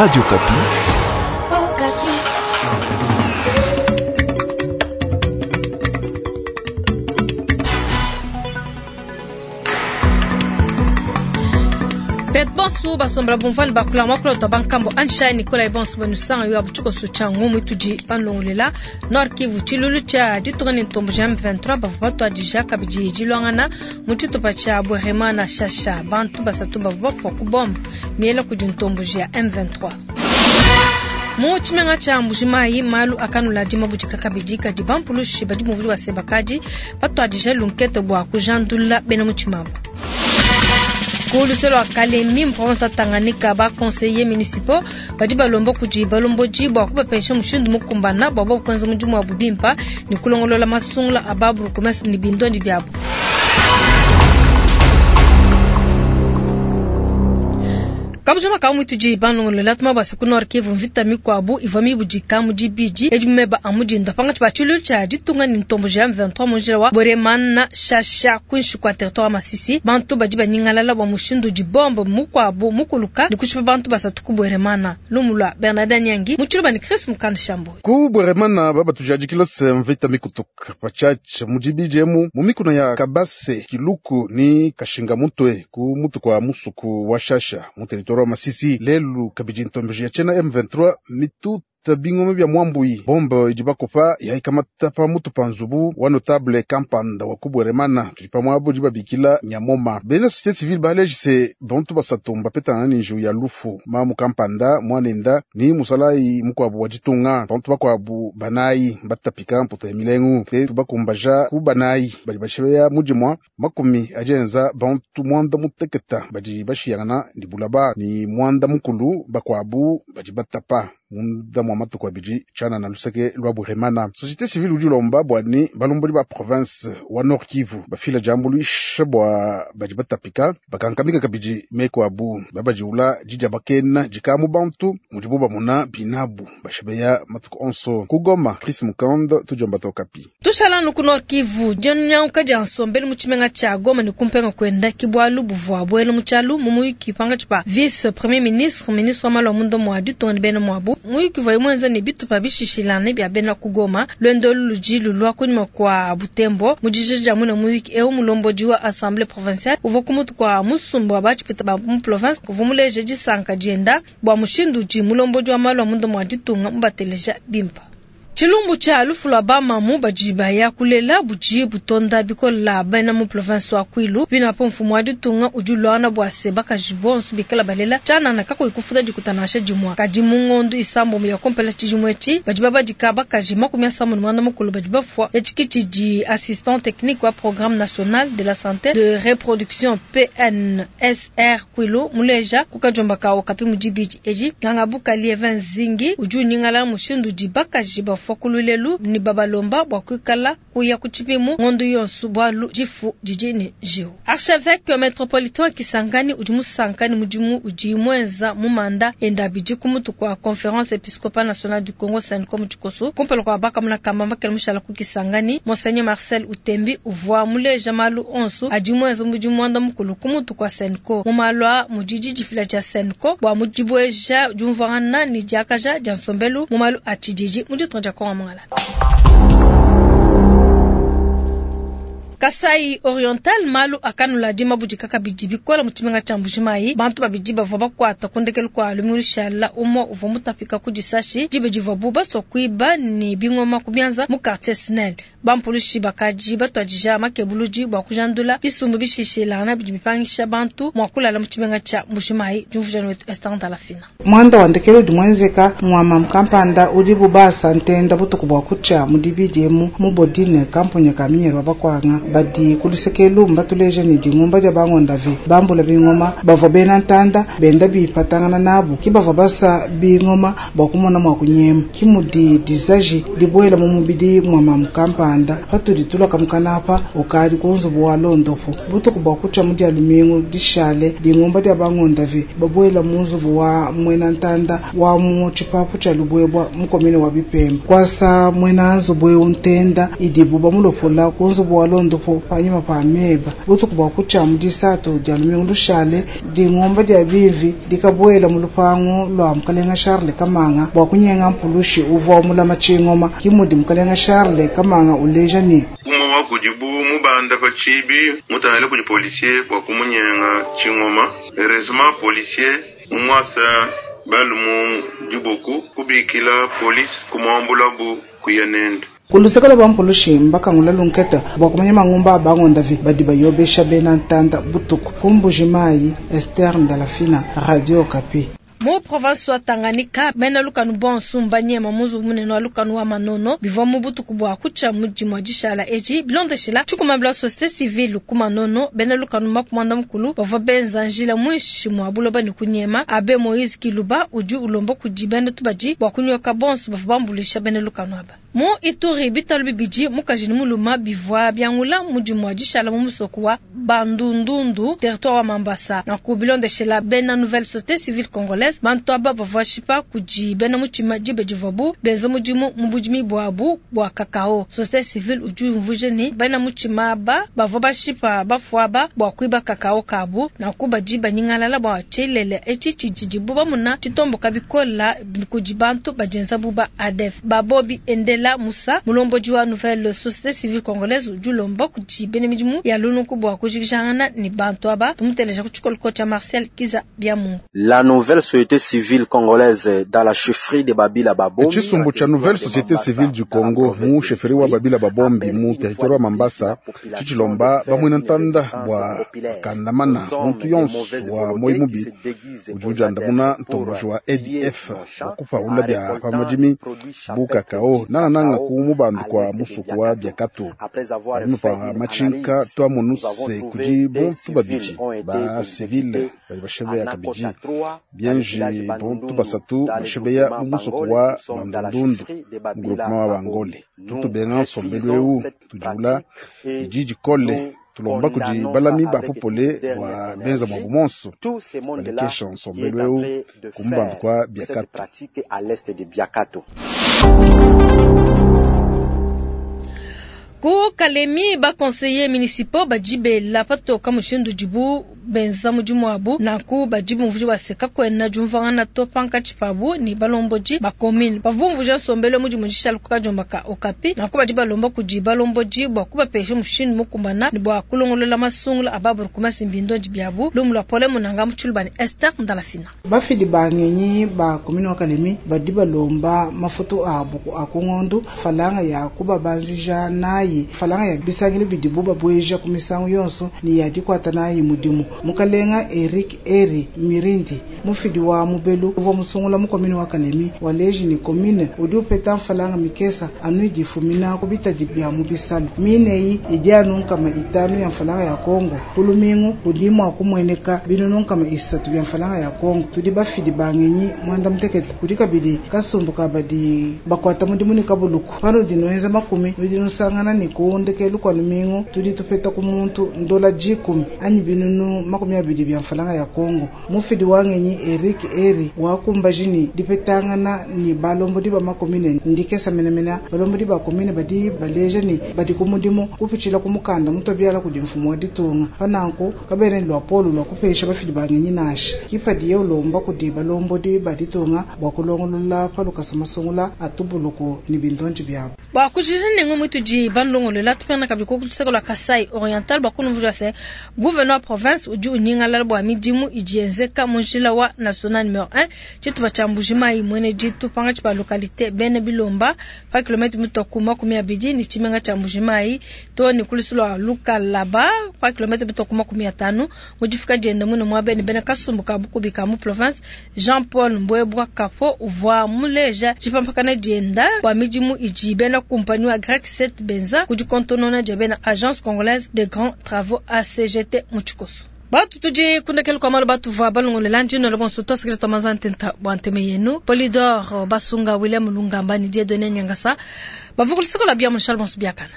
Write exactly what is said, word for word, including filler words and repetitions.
Radio Okapi. Pet bonsu basombela bumvani bakula makula to bankambo ansha Nicolas bonsu banusanga yo abutuko suchangu mutudi panlongolela Nord Kivu tshilulu tsha ditunga ne ntombo ja M vingt-trois bavua batuadija kabidi dilwangana mu tshitupa tshia Bweremana Shasha bantu basatu bavua bafua ku bombe miela kudi ntombo ja M vingt-trois. Mu tshimenga tsha Mbujimayi malu akanula dima budika kabidi kadi bampulushi badi muvuli wa sebakadi batuadija lunkete bua kujandula bena mutshimabo. Ku lwa Kalemi mu province ya Tanganyika ba conseillers municipaux badi balomba kudi balomboji bua kubapesha mushindu mukumbana bua bobu kuenza mudimu wa bubimpa ne kulongolola masungula a ba bourgmestre ne bindondi biabo. Kabujama ka mwituji banlongolola tuma basa ku Nord Kivu mvita mikwabu ivua mibudika mu dibidi edi meba a mudinda panga tshiba tshilu tsha ditunga ne ntombo ja M vingt-trois mu njila wa Bweremana Shasha kuinshi kwa territoire wa Masisi bantu badi banyingalala bua mushindu di bombe mukwabu mukuluka ne kushipa bantu basatu ku Bweremana. Lumu lwa Bernardin Nyangi mu tshiluba ne Chris Mukanda Shambo. Ku Bweremana baba tujadikila se mvita mikutuka pachacha mu dibidi emu mu mikuna ya Kabase Kiluku ni Kashinga mutwe ku mutu kwa musuku wa Shasha mu territoire wa Masisi lelu kabidi ntombeji ya chena M vingt-trois mitu bingoma bya mwambui bombe idi bakopa yaikamata pa mutu pa nzubu wa notable kampanda wa kubweremana tudi pa mwabo di babikila nyamoma bena société civile baleji se bantu basatu mbapetana ni nju ya lufu mamu kampanda mwanenda ni musalai mukwabu wa ditunga bantu bakwabu banayi batapika mputa ya milengu te tubakumbaja ku banayi badi bashebeya mudimwa makumi ajenza bantu mwanda muteketa badi bashiyangana ni bulaba ni mwanda mukulu bakwabu badi batapa munda mwa matuku abidi tshana na luseke lwa Bweremana. Société civile udi ulomba bua ni balombodi ba province wa Nord Kivu bafila jambulisha bua badi batapika bakankamika kabidi meko abu babadiula didia bakena dikamu bantu mudibu bamuna binabu bashebeya matuku onso kugoma. Chris Mukand tujomba tokapi tushala nuku Nord Kivu dionyanka dia nsombelu mu tshimenga tshia Goma ne kumpenga kwenda kibwalu buvua bwelu mu tshialu mu muyuki panga tshipa vice premier ministre ministre wa malu a munda mua ditunga ne bena muabu muyuki vwa mwenza ne bitupa bishishilane bya bena kugoma lwendo ludi lulwa kunyuma kwa Butembo mujijija muna muyuki eu mulombodi wa assemblée provinciale uvua kumutu kwa musumbu wa bachipita ba mu province kuvumuleje disanka dienda bua mushindu udi mulombodi wa malu a munda mua ditunga mubateleja bimpa. Tshilumbu tsha lufu lwa bamamu badi baya kulela budi butonda bikola bena mu province wa Kwilu bina po mfumu wa ditunga udi lwana bua se bakaji bonso bikala balela tshanana kakuyi kufuta dikutanasha dimwa kadi mu ngondu isambo ya kompela tshijimwetshi badi babadika bakaji makumi asambo ne mwanda mukulu badi bafua etshikitshi di assistant technique wa programme national de la santé de reproduction P N S R Kwilu muleja kukajomba kawo kapi mudibidi eji nganga bukali Even Zingi udi unyingala mushindu di bakaji bafua kululelu ni babalomba bwa kuikala kuya kuchipimu ngondu yonsu bwalu jifu jijini jiu. Archevêque métropolitain Kisangani udi musankani mudimu udi mwenza mumanda enda bidi kumutu kwa conférence épiscopale nationale du Congo CENCO mutikoso kumpela kwa baka muna kamba mbakela mushala ku Kisangani Monseigneur Marcel Utembi uvua muleja malu onsu adi mwenza mudimu mwanda mukulu kumutu kwa CENCO mumalwa mudidi difila dia CENCO bwa mudibweja jumvwana ni diakaja dia nsombelu mumalu atshididi muditonja kwa mangala. Kasai Oriental malu akanula dima budika kabidi bikola mu tshimenga tsha Mbujimayi bantu babidi bavua bakuata kundekelu kwa lumulishala umwe uvua mutapika ku disashi dibe divua bu basua kuiba ni bingoma ku bianza mu quartier Snell bampulushi bakaji batuadija makebuludi bua kujandula bisumbu bishishilana bidi bipangisha bantu mua kulala mu tshimenga tsha Mbujimayi diumvuja wetu Esther Ndalafina. Mwanda wa ndekelu di mwenzeka mwama mkampanda udi bubasa ntenda butuku bua kutshia mu dibidi emu mu bodine kampunya ka minyerwa bakwanga badi kulusekelu mbatuleje ni dingumba dia bangondavi bambula bingoma bavua bena ntanda benda bipatangana nabu ki bavua basa bingoma bua kumona mua kunyema kimudi disaji dibuela mu mubidi mwama mkampanda patudi tulaka mukanapa ukadi kunzubu wa londopo butuku bua kutshia mu dia lumingu dishale dingumba dia bangondavi babuela mu nzubu wa mwena ntanda wa mu tshipapu tshia lubwebwa mukomene wa bipemba kwasa mwena nzubu eu ntenda idibu bamulopola ku nzubu wa londopo patupu panyima pa meba. Butuku bua kutshia mu disatu dia lumingu lushale dingomba dia bivi dikabuela mu lupangu lua mukalenga Charles Kamanga bua kunyenga mpulushi uvua mulama tshingoma. Kimudi mukalenga Charles Kamanga uleja ne umwe wa kudibu mubanda pa tshibi mutangile kudi policier bua kumunyenga tshingoma. Heureusement policier mumwasa balumu diboku kubikila polisi kumuambulabu kuya nende. Kulusekela bwa mpulushi mbakangula lunketa bua kumanya mangumba abangondavi badi bayobesha bena ntanda butuku. Kumbuji Mai, Esther Ndalafina, Radio Okapi. Mu province wa Tanganyika bena lukanu bonso mbanyema muzu munene wa lukanu wa Manono bivua mu butuku bua kutshia mudimu wa dishala eji bilondeshela tshikumabila société civile ku Manono bena lukanu makumanda mukulu bavua benza njila mwishi mua buloba ne kunyema. Abe Moise Kiluba udi ulomba kudi bena tubadi bua kunyoka bonso bavua bambulisha bena lukanu aba. Mu Ituri bitalu bibidi mukaji muluma bivua biangula mudimu wa dishala mu musoko wa Bandundundu territoire wa Mambasa na ku bilondeshela bena nouvelle société civile congolaise bantu aba bavua shipa kudi bena mutima dibe divuabu benza mudimu mu budimi bwabu bwa kakao. Société civile udi umvuje ni bena mutima aba bavua bashipa bafuaba bua kuiba kakao kabu na kubadi banyingalala bua tshilele etshi tshidibu bamuna tshitomboka bikola kudi bantu bajenza buba A D F. Babobi Endela Musa mulombodi wa nouvelle société civile congolaise udi ulomba kudi bena midimu ya lunuku bua kujikijangana ni bantu aba. Tumuteleja ku tshikoloko tshia Marcel Kiza Biamungu. La nouvelle société civile congolaise dans la chefferie de Babila Babombi. Chisumbu cha nouvelle société civile du Congo mu chefferie wa Babila Babombi mu territoire wa Mambasa chichilomba bamwina ntanda bwa kandamana muntu yonso wa moimubi udi andamuna ntomboji wa A D F wakupa bya pamodimi bukakao nana nanga ku mubandu kwa musuku wa byakato alimu pa machinka twa monuse kudi bontu babiji ba civile bali bashebe ya kabiji bienji bontu basatu bashebe ya musuku wa bandundundu mu groupement wa Bangole tutubenga nsombelu eu tujula ijiji kole tulomba kudi balami bapopole wa benza mwa bumonso balekesha nsombelu eu kumbandu kwa Biakato. Ku Kalemi ba conseiller municipaux bajibe la patoka mushindu dibu benza mudimu wabu naku bajibu mvuji wa seka kwena jumvangana to panka chipabu ni balomboji ba commune bavumvuja sombele mudimu jishala kukajombaka Okapi naku bajiba lomba kudi balomboji bwa kubapesha mushindu mukumbana ni bwa kulongolola masungula ababuru kumasimbindo jibiabu lumu lwa pole munanga muchulubani Esther Ndalafina. Bafidi bangenyi ba commune wa Kalemi badi balomba mafoto abu akungondo falanga ya kubabanzija nayi falanga ya bisangile bidibu babweja ku misango yonso ni ya dikwata nayi mudimu. Mukalenga Eric Eri Mirindi mufidi wa mubelu uvua musungula mu commune wa Kalemi waleji ni commune udi upeta falanga mikesa anu difumina kubita bya mu bisalu mineyi idi anu nkama itanu ya falanga ya Kongo kulumingu kudimu akumweneka binunu nkama isatu bya falanga ya Kongo tudi bafidi bangenyi mwanda mutekete kudi kabidi kasumbu kabadi bakwata mudimu ni kabuluku pano dinoenza makumi nudinusangana ni kuondeke lukwa lumingu tudi tupeta ku muntu ndola jikumi anyi binunu makumi abidi bya mfalanga ya Kongo. Mufidi wangenyi Eric Eri wakumbajini dipetangana ni balombo di ba makomine ndikesa menemena balombo di ba komine badi baleja ni badi kumudimu kupichila kumukanda mutobiala kudi mfumo wa ditunga pananku kabene lwa polo lwa kupesha bafidi bangenyi nashi kipadi yolomba kudi balombo di baditunga bwa kulongolola palukasa masungula atubuluko ni bindonji byabo. Bwa kujija nengo mutuji bandongolola tupena kabiko kutuseka Kasai Oriental bakunumvuja se gouverneur province udi unyingala bwa midimu ijienzeka munjila wa national numéro un chituba cha Mbujimayi mwene jitu panga chipa localité bene bilomba pa kilomètre mutokuma kumi abidi ni chimenga cha Mbujimayi to ni kulisula lukalaba pa kilomètre mutokuma kumi atano mujifika jenda muno mwa bene bene kasumbu ka bukubika mu province Jean-Paul Mbwebwa Kafo uvwa muleja jipampakana jenda kwa midimu iji bena compagnie wa Grec sept Benza kujikontonona jebena Agence Congolaise de Grands Travaux A C G T muchikoso. Batu tuji kundakelu kwa malo batu vwa balongole njino le bonso to sekreto mazantenta bwanteme yenu Polidor Basunga William Lungamba ni Dieudonné Nyangasa bavukulisako la bia mon chalbon biakana.